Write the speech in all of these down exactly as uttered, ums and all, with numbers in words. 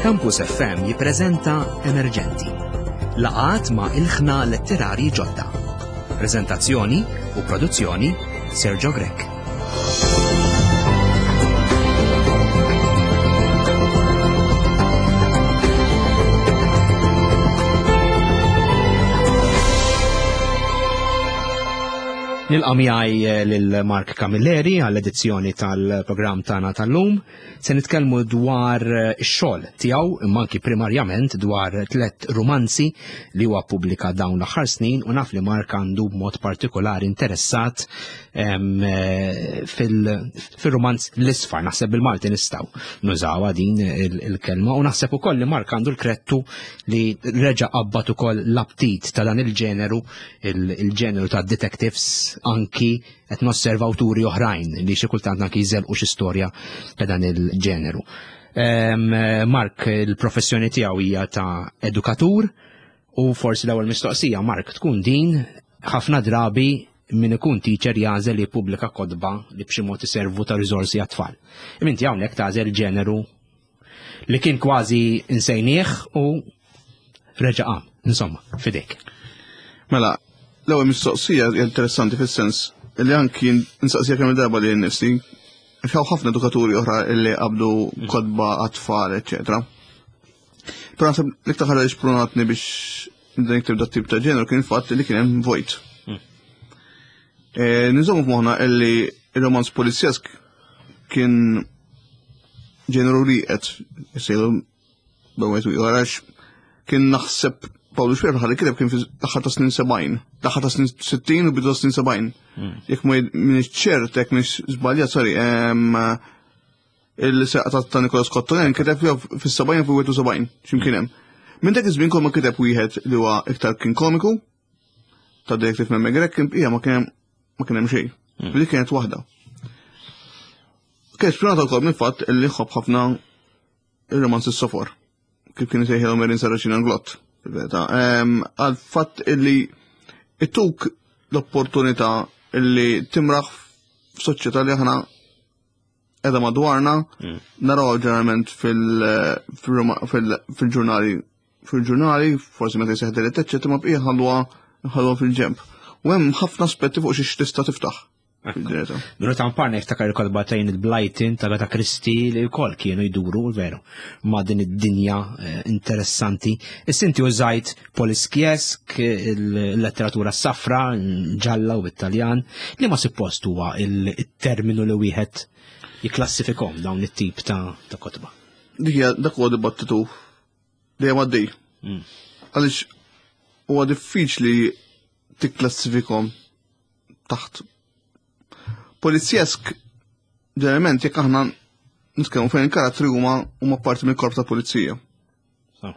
Campus F M jippreżenta Emerġenti. Laqgħat ma' ilħna letterari ġodda. Preżentazzjoni u produzzjoni Sergio Grech. Nilqa' miegħi lil Mark Camilleri għall-edizzjoni tal-programm tagħna tal-lum. Se nitkellmu dwar ix-xogħol tiegħu, imma anki primarjament dwar tliet rumanzi li huwa ppubblika dawn l-aħħar snin, u naf li Mark għandu b'mod partikolari interessat, em, fil-, fil-rumanz l-isfar. Naħseb bil-Malti nistgħu nużawha din il-, il-kelma, u naħseb ukoll li Mark għandu l-krettu li reġa' qabad ukoll l-aptit ta' dan il-ġeneru, il-, il-ġeneru ta' detectives, anki qed nosserva awturi oħrajn li xi kultant anki jżelqu xi storja ta' dan il-ġeneru. Em, Mark, il-professjoni tiegħu hija ta' edukatur, u forsi l-ewwel mistoqsija, Mark, tkun din: ħafna drabi min ikun teacher jagħżel li jippubblika kotba li b'xi mod iservu ta' riżorsi għat-tfal. Imma inti hawnhekk tagħżel ġeneru li kien kważi insejnieh u reġa' qam. Insomma, fidejk. Mela, l-ewwel mistoqsija hija interessanti fis-sens li anki nsaqsija kemm darba li nnifsi, għax hawn ħafna edukaturi oħra li qabdu kotba għat-tfal, eċċetera. Però naħseb l-iktar ħaġa li xprunatni biex nibda nikteb dat tip ta' ġeneru kien il-fatt li kien hemm vojt. Mm. E, Nżommu f'moħħna illi il-romanz polizjesk kien ġeneru li qed isejlu b'wieħed u ieħor, għax kien naħseb Pawlu Xuereb ħalli kiteb kien fl-aħħar ta' snin sebgħin, l-aħħar ta' snin sittin u bidu ta' snin sebgħin. Mm. Jekk ma jid-, minix ċert, jekk minix żbaljat, sorry, em, il-seqqa ta', ta' Nicolas Cottolin kiteb jew fis-sebgħin jew fil-wieħed u sebgħin, x'imkien hemm. Minn dak iż-żmien kol ma kiteb wieħed li huwa iktar kien komiku, ta' Detective Memme Grech, kien bqija ma kien hemm, ma kien hemm xejn. Mm. Dik kienet waħda. Kienet spjonata wkoll mill-fatt li nħobb ħafna ir-romanzi s-sofor, kif kien isejħilhom Erin Saracina Glott. Fil-verità, ehm, għal fatt illi ittuk l-opportunità illi timraħ f'soċjetà li aħna qiegħda madwarna, Mm. naraw ġeneralment fil-, fil-, fil-, fil-ġurnali, fil-ġurnali, forsi meta jseħħ delitt, eċċetera, ma bqija ħalluha, ħalluha fil-ġemp. U hemm ħafna aspetti fuq xiex tista' tiftaħ. Ekku. Fil-ġeneta. Minu ta' mparna jiftakar il-kotba ta' Enid Blyton, ta' Agatha Christie, li wkoll kienu jduru, veru, ma' din id-dinja, eh, interessanti. Issa inti użajt poliskjesk, il-letteratura safra, ġalla u Italjan, li ma suppost huwa il-, il-terminu li wieħed jiklassifikhom dawn it-tip ta', ta' kotba. Dik hija dak huwa dibattitu dejjem għaddej. Mm. Għaliex huwa diffiċli tikklassifikhom taħt polizjesk. Ġeneralment jekk aħna nitkellmu fejn il-karattri huma, huma parti mill-korp ta' pulizija. So.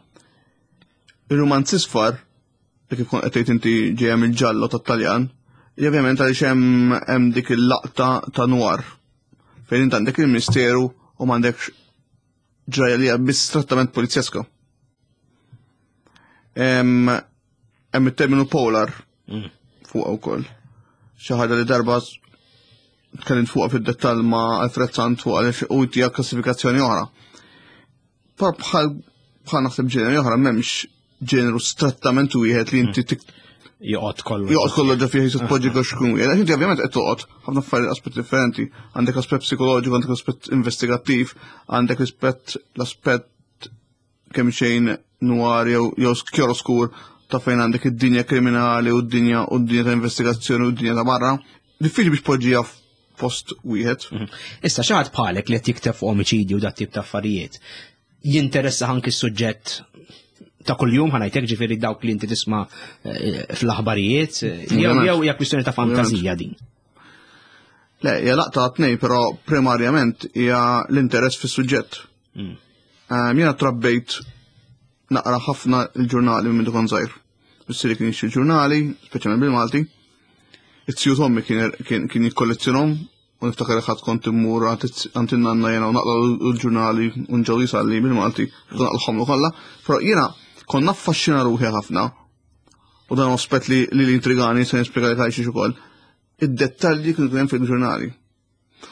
Ir-romanz isfar, li kif kont qed tgħid inti ġejja mill-ġallo tat-Taljan, hija ovvjament għaliex hemm, hemm dik il-laqta ta' noir fejn int għandek il-misteru u m'għandekx ġrajja li hija biss trattament polizjeska. Hemm, hemm it-terminu polar Mm. fuqha wkoll. Xi ħaġa li darba tkellimt fuqha fid-dettall ma' Alfred Sant fuq għaliex u hija klassifikazzjoni oħra. Però bħal, bħal naħseb ġeneri oħra m'hemmx ġeneru strettament wieħed li inti tik- Joqgħod kollu. Joqgħod kollu ġo fih jisud poġġi għax xkun wieħed. Għax inti ovvjament qed toqgħod ħafna affarijiet aspetti differenti. Għandek aspett psikoloġiku, għandek aspett investigattiv, għandek aspett l-aspett kemm xejn noir jew, jew chiaroscur ta' fejn għandek id-dinja kriminali u d-dinja u d-dinja ta' investigazzjoni u d-dinja ta' barra. Diffiċli biex poġġiha f'post wieħed. Mhm. Issa xi ħadd bħalek li qed jikteb fuq omiċidju u dat tip ta' affarijiet, jinteressa anki s-suġġett ta' kuljum, ħanajtek ġifieri dawk li inti tisma', eh, fl-aħbarijiet, eh, jew Ovvjament. jew hija kwistjoni ta' fantażija din. Le, hija laqta tnej, però primarjament hija l-interess fis-suġġett. Mm. Ehm, jiena trabbejt naqra ħafna l-ġurnali minn kont żgħir. Missieri kien jixtri ġurnali, speċjalment bil-Malti. It-tiju t'ommi kien, kien, kien jikkollezzjonhom, u niftakar li ħadd kont immur għand in-nanna jiena u naqra l-ġurnali u nġew jisalli bil-Malti, kont naqlħomlu kollha. Però jiena kont naffaxxina ruħi ħafna, u dan aspett li, li l-intrigani se nispjega li għaliex ukoll, id-dettalji kienu hemm fil-ġurnali.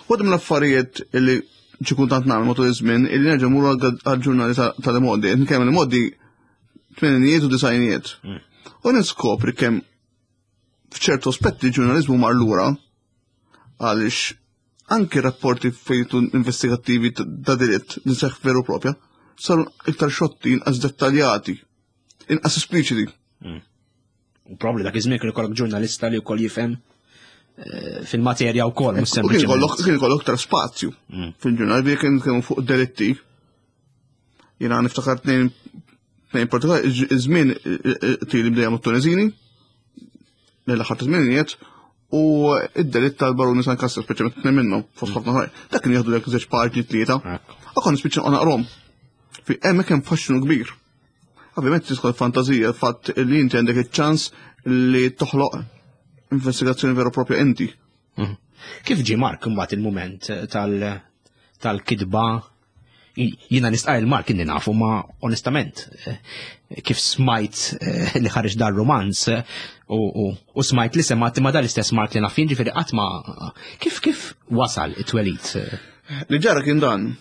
Waħda mill-affarijiet li xi kultant nagħmel matul iż-żmien illi nerġa' mmur għall-ġurnali tal-modi, nkellem il-modi tmeninijiet u disgħinijiet. U niskopri kemm f'ċertu aspetti ġurnaliżmu mar lura għaliex anki rapporti fejtu investigattivi ta' delitt li seħ veru propja saru iktar xotti, inqas dettaljati, inqas espliċiti. U probabli dak iż-żmien kien ikollok ġurnalista li wkoll jifhem eh, fil-materja wkoll, mhux U kien ikollok sempliċement. kien ikollok iktar spazju fil-ġurnal bi kien kienu fuq delitti. Jiena niftakar tnejn tnejn partikolari, iż-żmien tili bdejja mat-Tuneżini, l-aħħar ta' żminijiet, u id-delitt tal-Baruni San Kastro, speċjalment tnejn minnhom, fost ħafna oħrajn. Dak kien jieħdu dak żewġ paġni tlieta. Ekku. U kont nispiċċa naqrom. Fi hemmhekk hemm faxxinu kbir. Ovvjament tidħol fantazija l-fatt li inti għandek iċ-ċans li toħloq investigazzjoni vera u propja inti. Mhm. Kif ġie Mark imbagħad il-mument tal- tal-kitba? Jiena nistqar il-Mark inni nafu ma onestament eh, kif smajt eh, li ħareġ dar romanz eh, u, u, u smajt li semmat ma dal-istess Mark li naf jien ġifieri qatt ma kif kif wasal it-twelid? eh? Li ġara kien dan.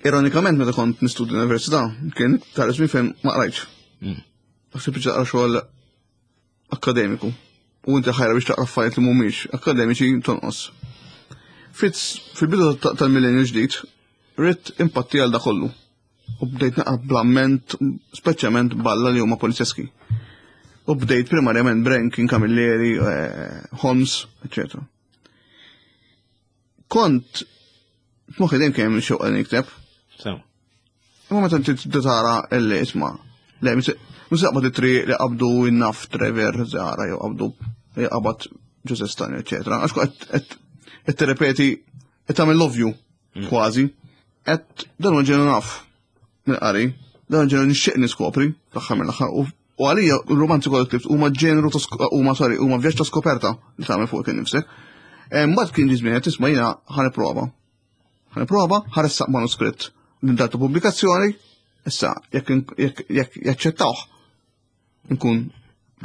Ironikament meta kont nistudja l-università, kien tar żmien fejn ma qrajtx. Mm. Sempliċi taqra xogħol akademiku. U inti ħajra biex taqra affarijiet li mhumiex akademiċi tonqos. Fitz fil-bidu ta- tal-millenju ġdid, ridt impatti għal da kollu. U bdejt naqra bl-amment, speċjalment balla li huma polizjeski. U bdejt primarjament Brankin, Camilleri, eh, Holmes, eccetera. Kont f'moħħi dejjem kien hemm xewqa li nikteb, So. imma meta inti tibda tara illi isma' le mhux taqbad it-triq li qabdu in-naf Trevor Zahra jew qabdu li qabad Joseph Stagno, eccetera. Għax qed qed tirrepeti qed tagħmel love you kważi. Qed dan huwa ġenu naf mill-qari, dan ġenu nixtieq niskopri fl-aħħar mill-aħħar u u għalija r-romanzi kollha ktibt huma ġenru ta' sk- huma sorry, huma vjaġġ ta' skoperta li tagħmel fuq kien nifsek. Mbagħad kien ġi żmien qed tisma' jiena ħa nipprova. Ħa nipprova, ħa ressaq manuskritt lil data pubblikazzjoni, issa jekk jekk jekk jaċċettawh nkun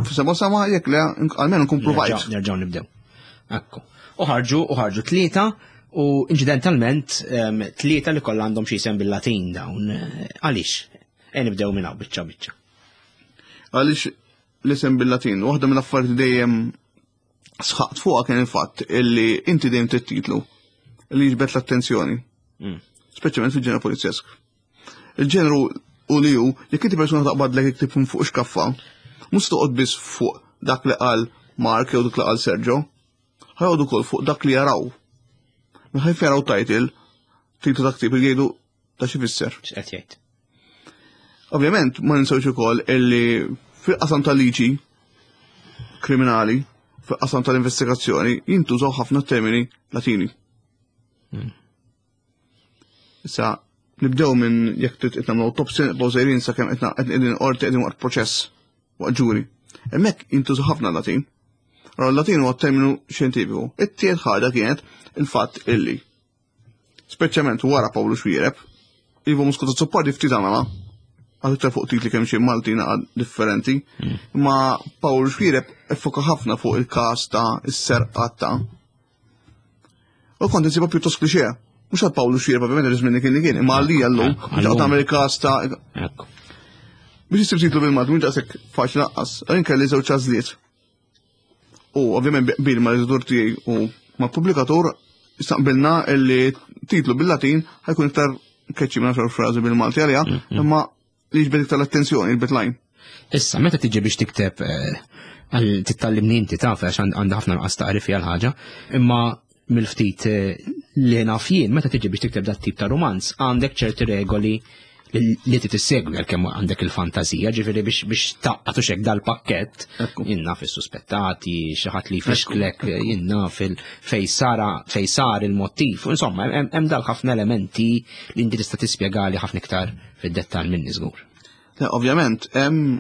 f'sema sama jekk le almenu nkun provajt. Nerġgħu nibdew. Ekku. U ħarġu u ħarġu tlieta u inċidentalment em, tlieta li kollha għandhom xi isem bil-Latin dawn. eh, Għaliex? E nibdew minn hawn biċċa biċċa. Għaliex l-isem bil-Latin, waħda mill-affarijiet li dejjem sħaqt fuqha kien il-fatt illi inti dejjem trid titlu li jiġbed l-attenzjoni. Mm. Speċjalment fil-ġenru polizjesk. Il-ġenru u li hu, jekk inti persuna taqbadlek iktib minn fuq xkaffa, mhux toqgħod biss fuq dak li qal Mark jew dak li qal Sergio, ħa joqogħdu wkoll fuq dak li jaraw. Meta jaraw title, titlu ta' ktieb jgħidu ta' xi fisser. X'qed jgħid? Ovvjament, ma ninsewx ukoll illi fil-qasam tal-liġi kriminali, fil-qasam tal-investigazzjoni, jintużaw ħafna termini Latini. Issa, nibdew minn jekk trid qed nagħmlu autopsy, nibqgħu sejrin sakemm qed qegħdin qorti qegħdin waqt proċess waqt ġuri. Hemmhekk jintużaw ħafna Latin. Allora l-Latin huwa terminu xjentifiku. It-tielet ħaġa kienet il-fatt illi speċjalment wara Pawlu Xuereb, Ivo Muscat Azzopardi ftit għamela, għal iktar fuq titli kemm xi Malti naqa differenti, ma Pawlu Xuereb effoka ħafna fuq il-każ ta' is-serqa ta' U kont insibha pjuttost klixè. Mhux għal Pawlu Xuereb ovvjament iż-żmien li kien li kien, imma għalija llum, Ekku, biex għallum. tagħmel il-każ ta' Ekku. biex issib titlu bil-Malti mhux daqshekk faċli lanqas. Għalin kelli żewġ għażliet. U ovvjament bil ma l-editur tiegħi u ma' pubblikatur istaqbilna illi titlu bil-Latin ħa jkun iktar catchy minn għaxar frażi bil-Malti għalija, imma li jiġbed iktar l-attenzjoni, jiġbed l-għajn. Issa, meta tiġi biex tikteb eh, għal tittallimni inti taf għax għand- għandha ħafna nuqqas taqrif fiha l-ħaġa, imma mill-ftit eh, li naf jien, meta tiġi biex tikteb dat tip ta' romanz, għandek ċerti regoli li li trid tissegwi għalkemm għandek il-fantazija, ġifieri biex biex taqqatu xek dal-pakkett, Ekku. jiena fis-suspettati, xi ħadd li jfixklek, jiena fil fej sara fej sar il-motiv, insomma, hemm hemm dal ħafna elementi li inti tista' tispjegali ħafna iktar fid-dettall minni żgur. Le, ovvjament, hemm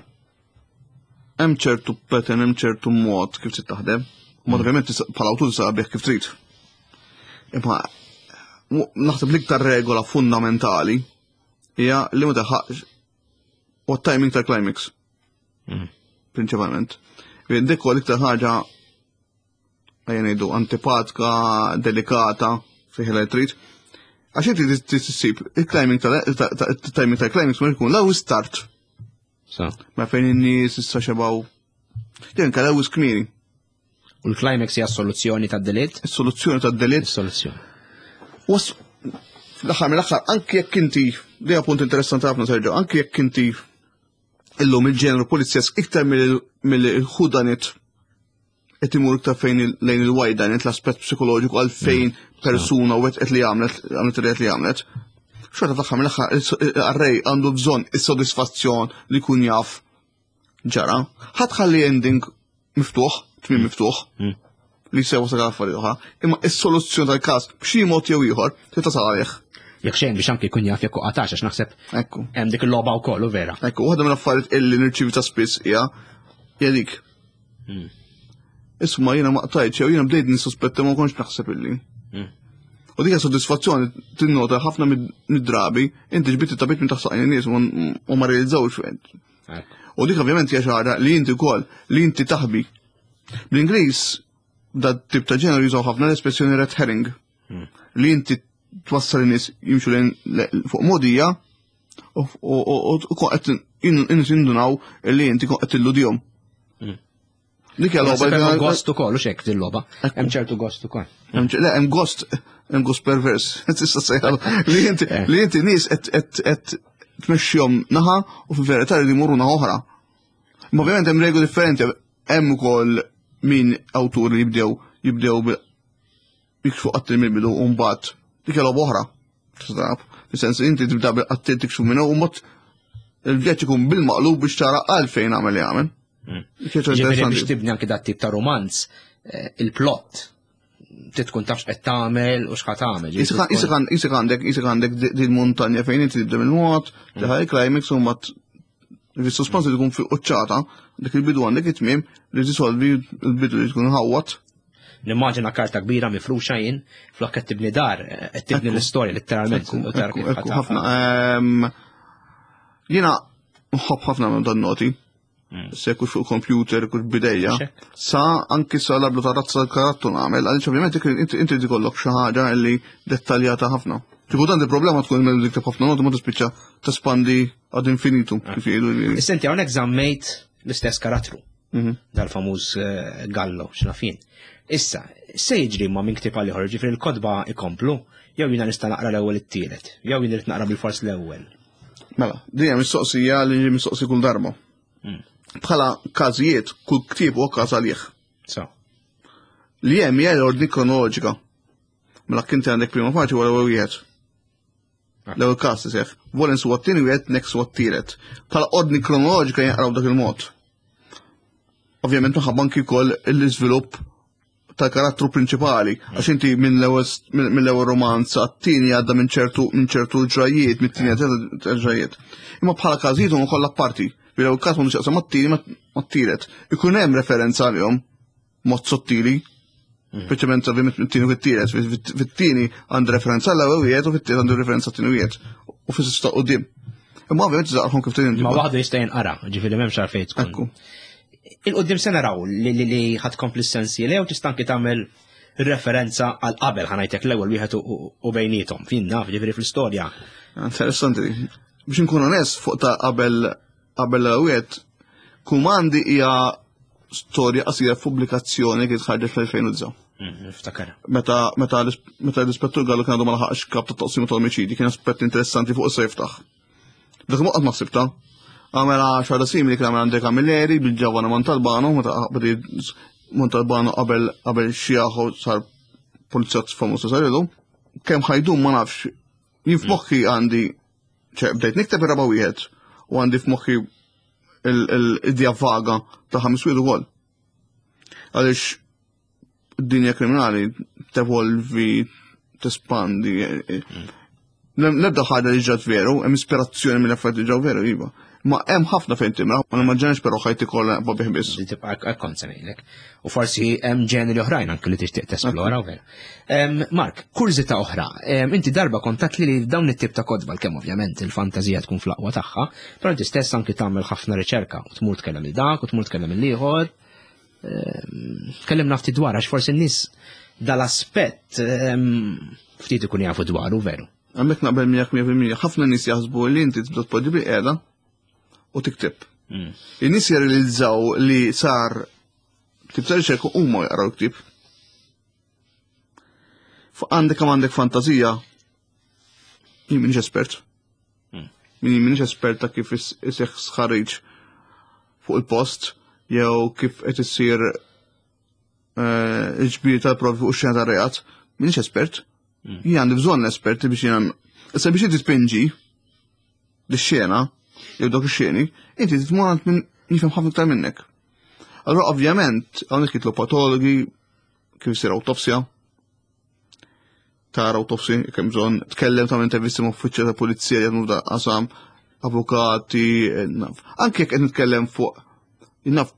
hemm ċertu pattern, hemm ċertu mod kif trid taħdem. U mod ovvjament tista' bħala awtur tista' bih kif trid. Imma mu- naħseb l-iktar regola fundamentali hija li ma taħaqx u timing tal-climax. Mm. Prinċipalment. Dik huwa l-iktar ħaġa ejja ngħidu antipatika, delikata, fih li trid. Għax inti tissib il-climbing tal-timing tal-climbing ma jkun l start. Ma fejn in-nies issa xebgħu. Din kellha wisq kmieni. U l-climax hija soluzzjoni tad-delitt? Is-soluzzjoni tad-delitt. Is-soluzzjoni. Fl-aħħar mill-aħħar anke jekk inti, dejja punt interessanti ħafna Sergio, anke jekk inti illum il-ġenru polizjesk iktar mill-whodunit qed imur iktar fejn lejn il-whydunit, l-aspett psikoloġiku għal fejn mm. persuna u qed li għamlet għamlet li għamlet. Xorta fl-aħħar mill-aħħar il-qarrej għandu bżonn is-sodisfazzjon li jkun jaf ġara. Ħadd ħalli ending miftuħ, tmiem mm. miftuħ. Mm. Li sewa sa affarijiet oħra, imma is-soluzzjoni tal-każ b'xi mod jew ieħor trid tasal għalih. Jekk xejn biex anke jkun jaf jekk qatax, għax naħseb Ekku. hemm dik il-logħba wkoll u vera. Ekku, waħda mill-affarijiet illi nirċievi ta' spiss hija hija dik. Hmm. Isma' jiena ma qtajtx jew jiena bdejt nissuspetta ma kontx naħseb illi. Hmm. U dik sodisfazzjoni tinnota ħafna mid-drabi inti ġbitt it-tapit minn taħt saqajn in-nies u ma realizzawx fejn. U dik ovvjament hija xi ħaġa li inti wkoll li inti taħbi. Bl-Ingliż da tip ta' ġeneru jużaw ħafna l-espressjoni red herring. Hmm. Li inti twassal in-nies jimxu lejn fuq mogħdija u qed indunaw li inti qed tilludihom. Hmm. Dik hija logħba. Hemm gost ukoll u xek din-logħba. Hemm ċertu gost ukoll. Le, hemm gost, hemm gost pervers. Tista' sejħa li inti Eh. li inti nies qed tmexxihom naħa u fil-verità li jmorru naħa oħra. Ma ovvjament hemm regoli differenti, hemm ukoll min awtur li jibdew jibdew jikxfu qattil mill-bidu u mbagħad dik hija logħba oħra. Tista' Fis-sens inti tibda bil-qattil tikxfu minnu u mbagħad il-vjaġġ ikun bil-maqlub biex tara għalfejn għamel li għamel. Hmm. Ġifieri biex tibni anke dat tip ta' romanz, eh, il-plot tkun tafx qed tagħmel u x'ħa tagħmel. Isek għandek, isek għandek din montanja fejn inti tibda mill-mod, teħaj climax u mbagħad fis-suspens li tkun fil-quċċata, dik il-bidu għandek it-tmiem li tisolvi l-bidu li tkun ħawat. Nimmaġina karta kbira mifruxa jien, flok qed tibni dar, qed tibni l-istorja letteralment. Ħafna. Ehm, jiena nħobb ħafna minn dan noti. Mm. Se kux fuq computer, kux bidejja. Sa anki sa lablu ta' razza tal-karattu nagħmel, għaliex ovvjament inti tikollok xi ħaġa li dettaljata ħafna. Ġibu dan il-problema tkun minn dik ħafna noti ma tispiċċa tespandi ad infinitum kif jgħidu. Issa hawnhekk żammejt l-istess karattru. Mhm. Dal-famuż eh, Gallo, x'nafin. Issa, se jiġri ma minn ktieb għal ieħor, ġifieri l-kotba ikomplu, jew jiena nista' naqra l-ewwel it-tielet, jew jien irid naqra bil-fors l-ewwel. Mela, din hija mistoqsija li mistoqsi kull darba. Mm. Bħala każijiet, kull ktieb huwa każ għalih. So. Li hemm hija l-ordni kronoloġika. Mela kinti għandek prima faċi wara l-ewwel wieħed. Ah. L-ewwel każ iseħħ. Volens huwa t-tieni wieħed, Next huwa t-tielet. Bħala ordni kronoloġika jinqraw dak il-mod. Ovvjament minħabba anki wkoll l-iżvilupp tal-karattru prinċipali, għax inti minn l-ewwel romanz għat-tieni għadda minn ċertu minn ċertu ġrajiet, mit-tieni għadda ġrajiet. Imma bħala każijiet huma kollha parti. Bil-ewwel każ m'għandux jaqsam mat-tieni mat-tielet. Ikun hemm referenza għalihom mod sottili, speċjalment ovvjament mit-tieni u fit-tielet. Fit-tieni għandu referenza l-ewwel wieħed u fit-tielet għandu referenza t-tieni wieħed. U fis-sista quddiem. Imma ovvjament taqrahom kif trid Ma waħdu jista' jinqara, ġifieri m'hemmx għalfejn tkun. Ekku. Il-qoddim se naraw li li li ħad kompli s-sensi jew tista' anki tagħmel referenza għal qabel ħa ngħidlek l-ewwel wieħed u bejnietom. Fin naf, ġifieri fl-istorja. Interessanti. Biex nkun onest fuq ta' qabel qabel l-wieħed, Kumandi hija storja qasira f'pubblikazzjoni kien ħarġet fl-elfejn u disgħa. Mm, Niftakar. Meta meta meta l-ispettur Gallu kien għadu ma laħaqx kap ta' taqsima ta' omicidi, kien aspett interessanti fuq issa jiftaħ. Dak muqqat ma sibta. Għamela xarra simili kien għamel Andre Camilleri bil-Giovanna Montalbano, meta badi Montalbano qabel qabel xjaħu sar pulizjat famuż sar ilu. Kemm ħajdum ma nafx. Jien f'moħħi għandi, ċe bdejt nikteb ir-raba' wieħed u għandi f'moħħi l-idea vaga ta' ħames wieħed ukoll. Għaliex id-dinja kriminali tevolvi, tespandi. L-ebda ħaġa li ġrat veru, hemm ispirazzjoni mill-affarijiet li ġraw veru, iva. Ma hemm ħafna fejn timra, ma nimmaġinax però ħajti kollha naqba' bih biss. Di tibqa' kont se ngħidlek. U forsi hemm ġeneri oħrajn anke li tixtieq tesplora u vera. Em, Mark, kurżità oħra. Em, Inti darba kontat li li dawn it-tip ta' kotba kemm ovvjament il-fantażija tkun fl-aqwa tagħha, però inti stess anki tagħmel ħafna riċerka u tmur tkellem il dak u tmur tkellem il-ieħor. Em, Tkellimna ftit dwar għax forsi n-nies dal-aspett em, ftit ikun jafu dwaru veru. Hemmhekk naqbel miegħek mija fil-mija. Ħafna nies jaħsbu li inti tibda tpoġġi bil-qiegħda u tikteb. Mm. In-nies jirrealizzaw li sar ktieb ta' riċerka huma jaqraw ktieb. Fuq għandek kemm għandek fantazija, jien m'iniex espert. Mm. Jien m'iniex espert ta' kif is- iseħħ sħarriġ fuq il-post jew kif qed issir eh, il-ġbir tal-provi fuq ix-xena tar-reat. M'iniex espert. Mm. Jien għandi bżonn esperti biex jien Issa biex inti tpinġi l-xena jew dawk ix-xeni, inti tmur għand min jifhem ħafna iktar minnek. Allora ovvjament hawnhekk jitlu patologi kif isir awtopsja, tara autopsy, kemm bżonn, tkellem ta' intervisti ma' uffiċjali ta' pulizija li jaħdmu f'dan qasam, avukati, eh, naf. Anke jekk qed nitkellem fuq, naf,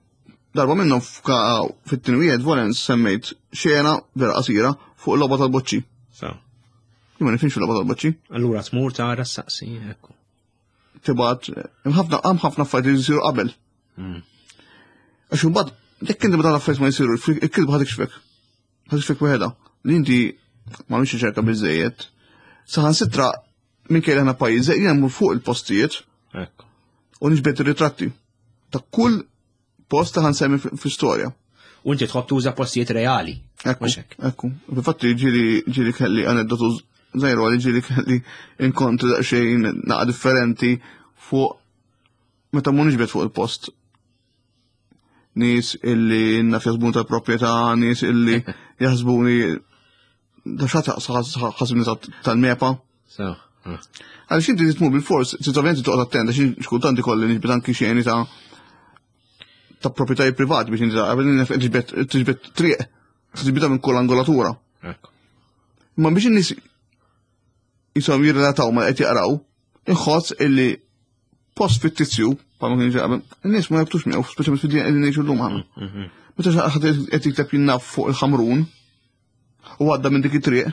darba minnhom f'ka- fit-tieni wieħed Volens semmejt xena vera qasira fuq il-logħba tal-boċċi. So. Jien ma nifhimx fil-logħba tal-boċċi. Allura tmur tara s-saqsi, ekku. Tibgħat, hemm ħafna hemm ħafna affarijiet li jsiru qabel. Mm. Għax imbagħad jekk inti meta l-affarijiet ma jsiru, il-kitba ħa tikxfek. Ħa tikxfek waħedha. Li inti ma mhix riċerka biżejjed. Saħansitra minkejja li aħna pajjiż jien mmur fuq il-postijiet Ekku. u niġbed ir-ritratti ta' kull post ta' ħa nsemmi fl-istorja. U inti tħobb tuża postijiet reali. Ekku, Mhux hekk. ekku. Infatti ġieli ġieli kelli aneddotu żgħiru għalli ġieli kelli inkontri daqsxejn naqa differenti fuq meta mu niġbed fuq il-post. Nies illi naf jaħsbuni tal-proprjetà, nies illi jaħsbuni da xata ħasibni tal-MEPA. So. ah. Għaliex inti tmur bil-fors, trid ovvjament toqgħod attent għax xkultant ikolli niġbed anki xeni ta' ta' proprjetajiet privati biex inti ta' tiġbed tiġbed triq, tiġbedha minn kull angolatura. Ekku. Imma biex in-nies jisom jirrelataw ma qed jaqraw, inħoss illi post fittizju, bħalma kien jiġi qabel, in-nies ma jabtux miegħu, speċjalment fid-dinja qegħdin ngħixu llum aħna. Mhm. Meta xi ħadd qed jikteb jinnaf fuq il-Ħamrun u għadda minn dik it-triq.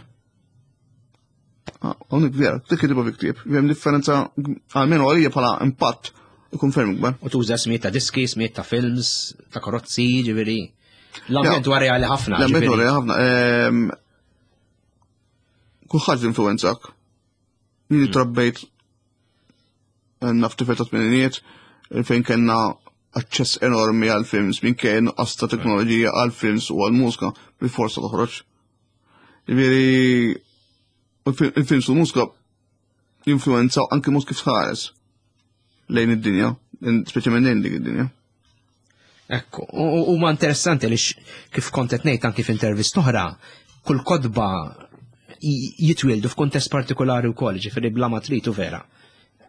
Ah, hawnhekk vera, dik kitibha fi ktieb, hemm differenza għalmenu għalija bħala impatt ikun ferm ikbar. U tuża smiet ta' diski, smiet ta' films, ta' karozzi, ġifieri. L-ambjent huwa reali ħafna. L-ambjent ġifieri. huwa ħafna. Ehm, Kulħadd influwenzak. Jien trabbejt eh, naf tifel ta' tmeninijiet fejn kellna aċċess enormi għal films minkejja nuqqas ta' teknoloġija għal films u għal mużika bil-forsa toħroġ. Ġifieri il-films u l-mużika jinfluwenzaw anke mod kif tħares lejn id-dinja, speċjalment lejn dik id-dinja. Ekku, u u ma interessanti li kif kont qed ngħid anki f'intervista oħra, kull kotba j- jitwieldu f'kuntest partikolari wkoll, ġifieri bla ma trid u vera.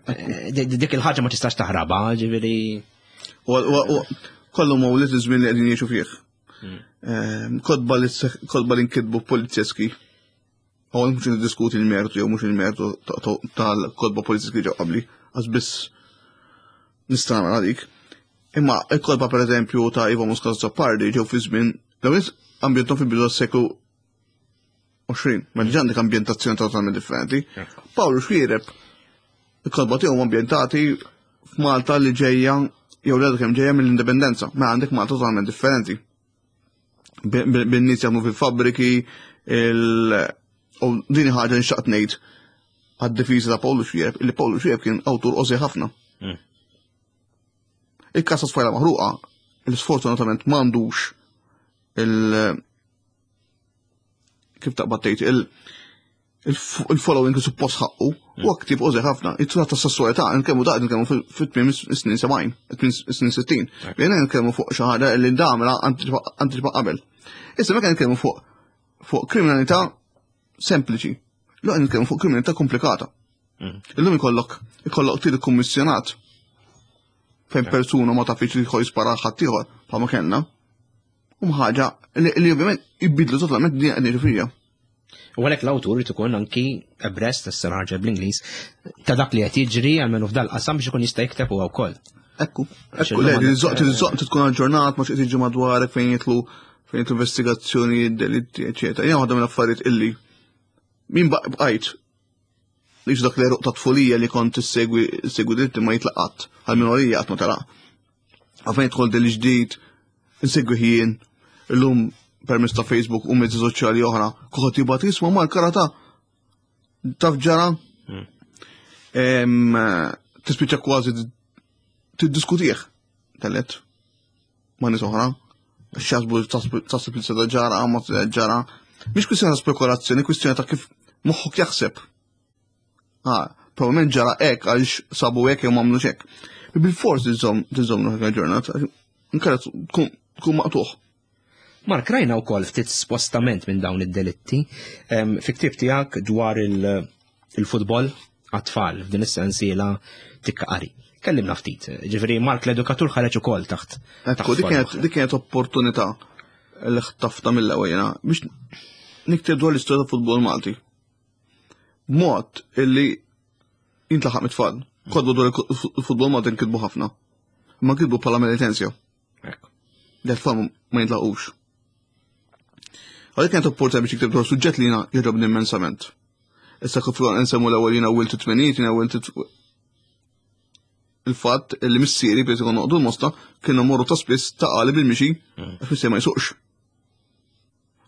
Eh, di- Dik il-ħaġa ma tistax taħrabha, ġifieri. U u- u kollu mawliet iż-żmien li qegħdin jgħixu fih. Ehm, Kotba li kotba li nkitbu polizjeski. U mhux niddiskuti il-mertu jew mhux il-mertu ta- ta- tal-kotba polizjeski ġew qabli, għax biss nista' nagħmel dik. Imma il-kotba pereżempju ta' Ivan Muscat Azzopardi ġew fi żmien l nies ambjentom fil-bidu tas-seklu għoxrin, ma diġà għandek ambjentazzjoni totalment differenti. Pawlu Xuereb, il-kotba tiegħu ambjentati f'Malta li ġejja jew li għadu kemm ġejja mill-indipendenza, ma għandek Malta totalment differenti. Bin-nies jaħdmu fil-fabbriki, il- u din ħaġa nxtaqt ngħid għad-difiża ta' Pawlu Xuereb, illi Pawlu Xuereb kien awtur qosir ħafna. Mm. Il-każ Tfajla Maħruqa, il-sfortunatament m'għandux il- kif taqbad tgħid il- il-following li suppost ħaqqu, u ktieb qosir ħafna. It-trat ta' sessualità, nkellmu daqt nkellmu fit-tmiem is-snin sebgħin, tmiem is-snin sittin. Jena nkellmu fuq xi ħaġa li damla antiċipa qabel. Issa meta nkellmu fuq fuq kriminalità sempliċi. Lu nitkellmu fuq kriminalità komplikata. Illum ikollok ikollok qtil kummissjonat fejn persuna ma tafx li jħoj jispara ħadd ieħor bħalma kellna. U ħaġa li li ovvjament jibidlu totalment din qed ngħixu fija. U għalhekk l-awtur irid ikun anki abreast issa ħarġa bl-Ingliż ta' dak li qed jiġri għalmenu f'dal qasam biex ikun jista' jikteb huwa wkoll. Ekku, Għax ekku, le, illum għandek- tiżoq tiżoq tkun aġġornat ma x'qed jiġi madwarek fejn jitlu fejn jitlu investigazzjoni, delitti, eċetera. Jiena waħda mill-affarijiet illi min baqajt li dak l-eruq ta' tfulija li kont issegwi issegwi delitti ma jitlaqat, għal minorija qatt ma telaq. Għalfejn jidħol deli ġdid, insegwi ħin, illum permezz ta' Facebook u mezzi soċjali oħra, kulħadd jibgħat jisma' mal-karata taf ġara Em, Tispiċċa kważi tiddiskutih tellet ma' nies oħra. X'jaħsbu taħseb li seda ġara, ma seda ġara. Mhix kwistjoni ta' spekulazzjoni, kwistjoni ta' kif moħħok jaħseb. Ah, probabbilment ġara hekk għaliex sabu hekk jew m'għamlux hekk. Bil-fors tiżomm tiżomm ruħek aġġornat, inkella tkun tkun maqtugħ. Mark, rajna wkoll ftit spostament minn dawn id-delitti em, fi ktieb tiegħek dwar il- il-futbol għat-tfal f'din is-sensiela Tikka Qari. Kellimna ftit, ġifieri Mark l-edukatur ħareġ ukoll taħt. Ekku, dik kienet dik kienet opportunità li ħtafta mill-ewwel jiena biex nikteb dwar l-istorja ta' futbol Malti. B'mod illi jintlaħaq mit-tfal. Kotba dwar il-futbol Malti nkitbu ħafna. Ma kitbu bħala Melitensia. Ekku. Li t-tfal ma jintlaqux. Għalik kienet opportunità biex nikteb dwar suġġett li jiena jogħġobni immensament. Issa kif nsemmu l-ewwel jiena wilt it-tmeninijiet, jiena wilt il-fatt li missieri biex ikun noqogħdu l-Mosta kienu morru ta' spiss Ta' Qali bil-mixi għax missieri ma jsuqx.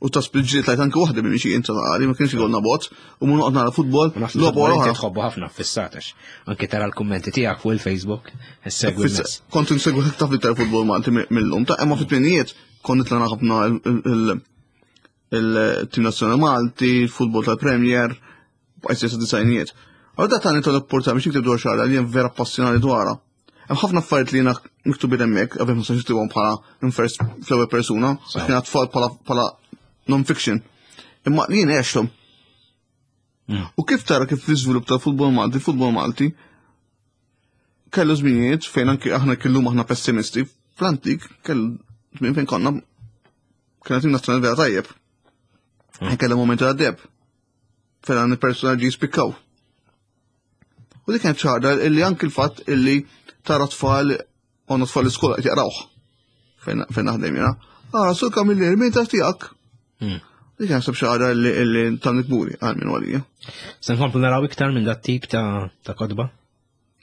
U ta' spiss ġiet tlajt anke waħda bil-mixi inta Ta' Qali ma kienx ikollna bot u mu noqgħod nara futbol logħba wara Inti oħra. tħobbu ħafna fissatax. Anke tara l-kummenti tiegħek fuq il-Facebook, issegwi Fissa- n-nies. Kont insegwi ħafna iktar futbol Malti mill-lum ta' imma fit-tmenijiet kont nitlana ħafna il-tim nazzjonali Malti, il-futbol tal-Premier, bqajt sa disgħinijiet. Għal da tani tal-opportunità biex nikteb dwar xi ħaġa li jien vera passjonali dwarha. Hemm ħafna affarijiet li jiena miktubin hemmhekk, qabel ma nistax niktibhom bħala in first fl-ewwel persuna, għax kien tfal bħala bħala non-fiction. Imma li jien għexthom. Mm. U kif tara kif l-iżvilupp tal-futbol Malti, futbol Malti, kellu żminijiet fejn anki aħna kellum aħna pessimisti, fl-antik kellu żmien fejn konna kena tim nazzjonali vera tajjeb. Mm. Kellu momenti għad-deb. Fejn għan il-personaġġi jispikkaw. U dik kienet ċara illi anki l-fatt illi tara tfal għandna tfal l-iskola qed jaqrawh fejn fejn naħdem jiena. Ah, Sur Camilleri, min ta' tiegħek? Mm. Dik naħseb xi ħaġa illi illi tan kburi għal minn għalija. Se nkomplu naraw iktar minn dat tip ta' ta' kotba?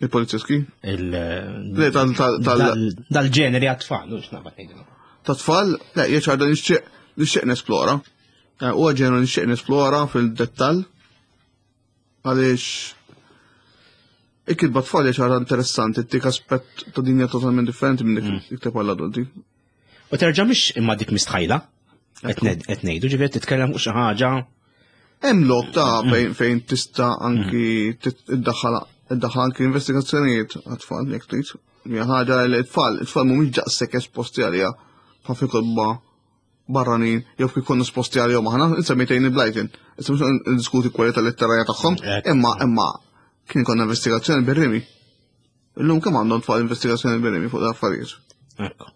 Il-polizjeski? Il Le, tal- tal- tal- dal- Dal-ġeneri għat-tfal, mhux naqbad ngħidu. Ta' tfal, le, hija xi ħaġa nixtieq nixtieq nesplora. Eh, Huwa ġeneru nixtieq nesplora fil-dettall. Għaliex il-kitba tfal hija xi ħaġa interessanti, tik aspett ta' dinja totalment differenti minn dik ikteb għall-adulti. U terġa' mhix imma dik mistħajla. Qed ngħidu, ġifieri titkellem fuq xi ħaġa Hemm lok ta' fejn fejn tista' anki tiddaħħal iddaħħal anki investigazzjonijiet għat-tfal jekk trid. Hija ħaġa li t-tfal, it-tfal mhumiex daqshekk esposti għaliha bħal fi kotba barranin jew kif konna esposti għalihom aħna, insemmejtejni Blyton. Issa mhux ndiskuti kwalità letterarja tagħhom, Ekku. imma imma kien konna investigazzjoni bir-rimi. Illum kemm għandhom tfal investigazzjoni bir-rimi fuq l-affarijiet. Ekku.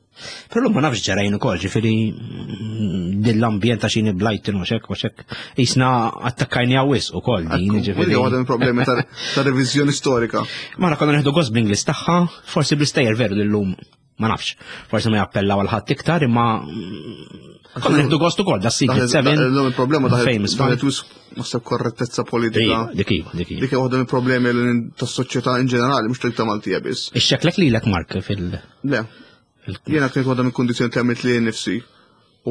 Però ma nafx ġarajn ukoll, ġifieri mm, din l-ambjent ta' xini Blyton u xek u xek. Jisna attakkajni għawis ukoll din, Ekku, ġifieri. Dik waħda mill-problemi ta' ta' reviżjoni storika. Ma konna neħdu gost bl-Inglis tagħha, forsi bl-istejjer veru l-lum ma nafx. Forsi ma jappellaw għal ħadd iktar, imma mm, konna neħdu gost ukoll da Secret Seven. Illum il-problema Famous daħlet Five. wisq naħseb korrettezza politika. Iva, dik iva, dik iva. Dik hija waħda mill-problemi li tas-soċjetà in ġenerali, mhux tal Maltija biss. Ixxeklek lilek Mark fil- Le, fil- jiena kienet waħda mill-kundizzjoni li għamilt li nifsi.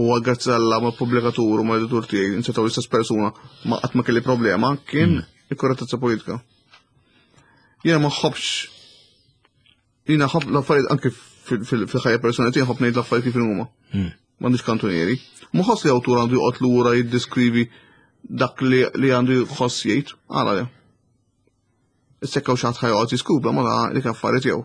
U grazzi Alla ma' pubblikatur u ma' editur tiegħi insetaw l-istess persuna ma qatt ma kelli problema kien il-korrettezza politika. Jiena ma nħobbx jiena ħobb l-affarijiet anke fil- fil- fil-ħajja personali tiegħi nħobb ngħid l-affarijiet kif huma. Mm. M'għandix kantunieri. Ma ħoss li awtur għandu joqgħod lura jiddeskrivi dak li li għandu jħoss jgħid, għala le. Issa xi ħadd ħa joqgħod jiskubra ma da dik affarijiet tiegħu.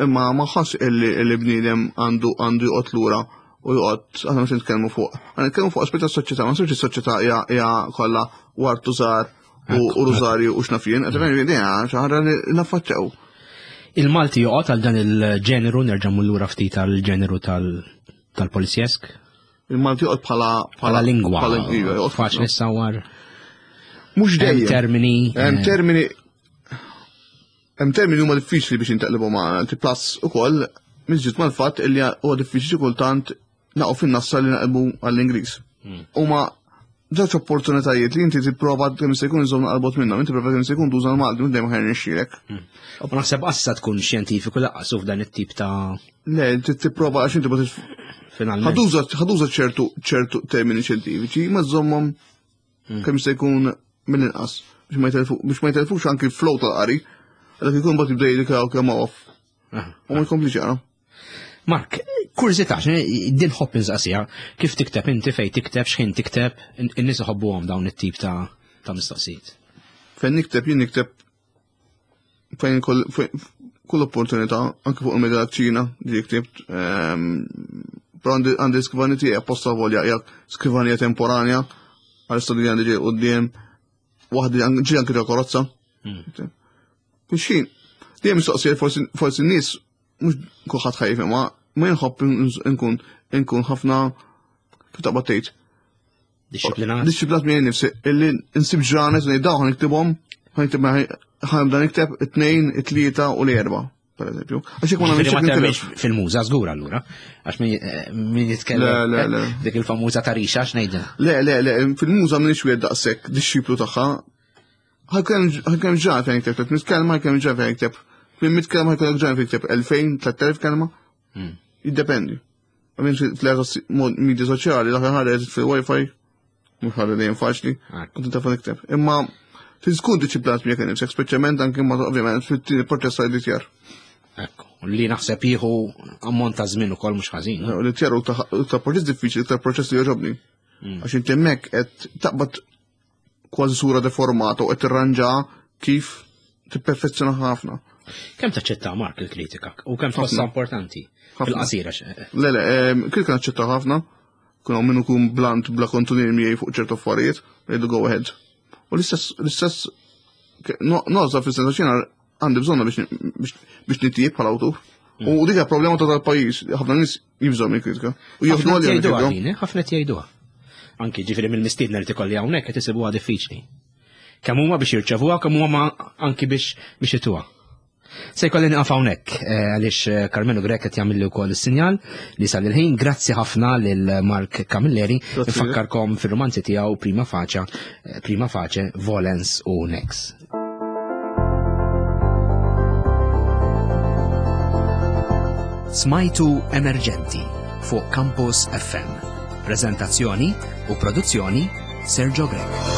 Imma ma ħoss illi illi bniedem għandu għandu joqgħod lura u joqgħod aħna mhux nitkellmu fuq. Aħna nitkellmu fuq aspett tas-soċjetà, ma nsirx is-soċjetà hija hija kollha wartu żgħar u u rużarju u x'nafjen, qed ngħid xi ħaġa li naffaċċew. Il-Malti joqgħod għal dan il-ġeneru, nerġa' lura ftit għal-ġeneru tal- tal-polizjesk, Il-Malti joqgħod bħala bħala lingwa. bħala iva, joqgħod Faċli ssawar. Mhux Hemm dejjem. termini. Hemm eh, termini hemm termini huma diffiċli biex intaqlibu magħna, ti plus ukoll miżjud mal-fatt illi huwa diffiċli kultant naqgħu fin-nassa li naqilbu għall-Ingliż. Huma żewġ opportunitajiet li inti tipprova kemm se jkun iżomm naqalbot minnhom, inti prova kemm se jkun tuża l-Malti minn dejjem ħajr nixxielek. U naħseb assa tkun xjentifiku laqqasu f'dan it-tip ta' Le, inti tipprova għax inti ma tif- finalment. ħa tuża ħa tuża ċertu ċertu termini xjentifiċi, ma żommhom kemm se jkun mill-inqas. Biex ma jtelfux anki l-flow tal-qari, għadak ikun bat jibda jgħidlek kemm off. U ma jkomplix jaqra. Mark, kurżità, din ħobb insaqsija, kif tikteb inti, fejn tikteb, x'ħin tikteb, in-nies iħobbuhom dawn it-tip ta' ta' mistoqsijiet. Fejn nikteb, jien nikteb fejn kull opportunità, anke fuq il-medja ċina, ġi ktibt, però għandi skrivani tiegħi apposta volja, hija skrivanija temporanja, għal studji għandi ġej quddiem, waħda ġi anke ġo karozza. Biex xejn, dejjem mistoqsija forsi n-nies mhux kulħadd ħajf ma ma jinħobb nkun nkun ħafna kif taqbad tgħid. Disciplinat. Disciplinat miegħi nifsi illi nsib ġranet u ngħid dawn ħaniktibhom, ħaniktib ħanibda nikteb it-tnejn, it-tlieta u l-erba', per eżempju. Għax jekk ma nagħmilx fil-muża żgur allura, għax min jitkellem dik il-famuża tarixa x'ngħidilha. Le, le, le, fil-muża m'iniex wieħed daqshekk dixxiplu tagħha. Ħajkemm ġranet fejn nikteb tliet mitt kelma, ħajkemm ġranet fejn nikteb minn mitt kelma ħajkollok ġranet fejn nikteb elfejn, tliet elef kelma. Jiddependi. Għamin fl-era media soċjali, dak ħareġ fil-Wi-Fi, mhux ħaġa dejjem faċli, kont inta nikteb. Imma tkun disciplinat miegħek innifsek, speċjalment anke ma ovvjament fit-tieni proċess ta' editjar. Ekku, li naħseb jieħu ammont ta' żmien ukoll mhux ħażin. L-editjar u ta' proċess diffiċli, ta' proċess li jogħġobni. Għax inti hemmhekk qed taqbad kważi sura deformata u qed tirranġa kif tipperfezzjona ħafna. Kemm taċċetta Mark il-kritika u kemm tħossha importanti fil-qasira? Le, le, kritika naċċetta ħafna, kun hawn minnu kun blant bla kontunier miegħi fuq ċertu affarijiet, jgħidu go ahead. U l-istess, l-istess, noża fis-sens għax jiena għandi bżonna biex nitjieb bħala awtur. U dik hija problema ta' tal-pajjiż, ħafna nies jibżgħu mill-kritika. U jieħdu Ħafna għalihom jgħiduha il-kritika. din, eh? Ħafna jgħiduha. Anki ġifieri mill-mistiedna li tikolli hawnhekk qed isibuha diffiċli. Kemm huma biex jirċevuha, kemm huma anki biex biex ituha. Se jkolli nieqaf hawnhekk, eh, għaliex, eh, Karmenu Grech qed jagħmilli wkoll is-sinjal li sal il-ħin. Grazzi ħafna lil Mark Camilleri. Grazzi. Nfakkarkom fir-romanzi tiegħu Prima Facia, eh, Prima Face, Volens u Nex. Smajtu Emerġenti fuq Campus F M. Prezentazzjoni u produzzjoni Sergio Grech.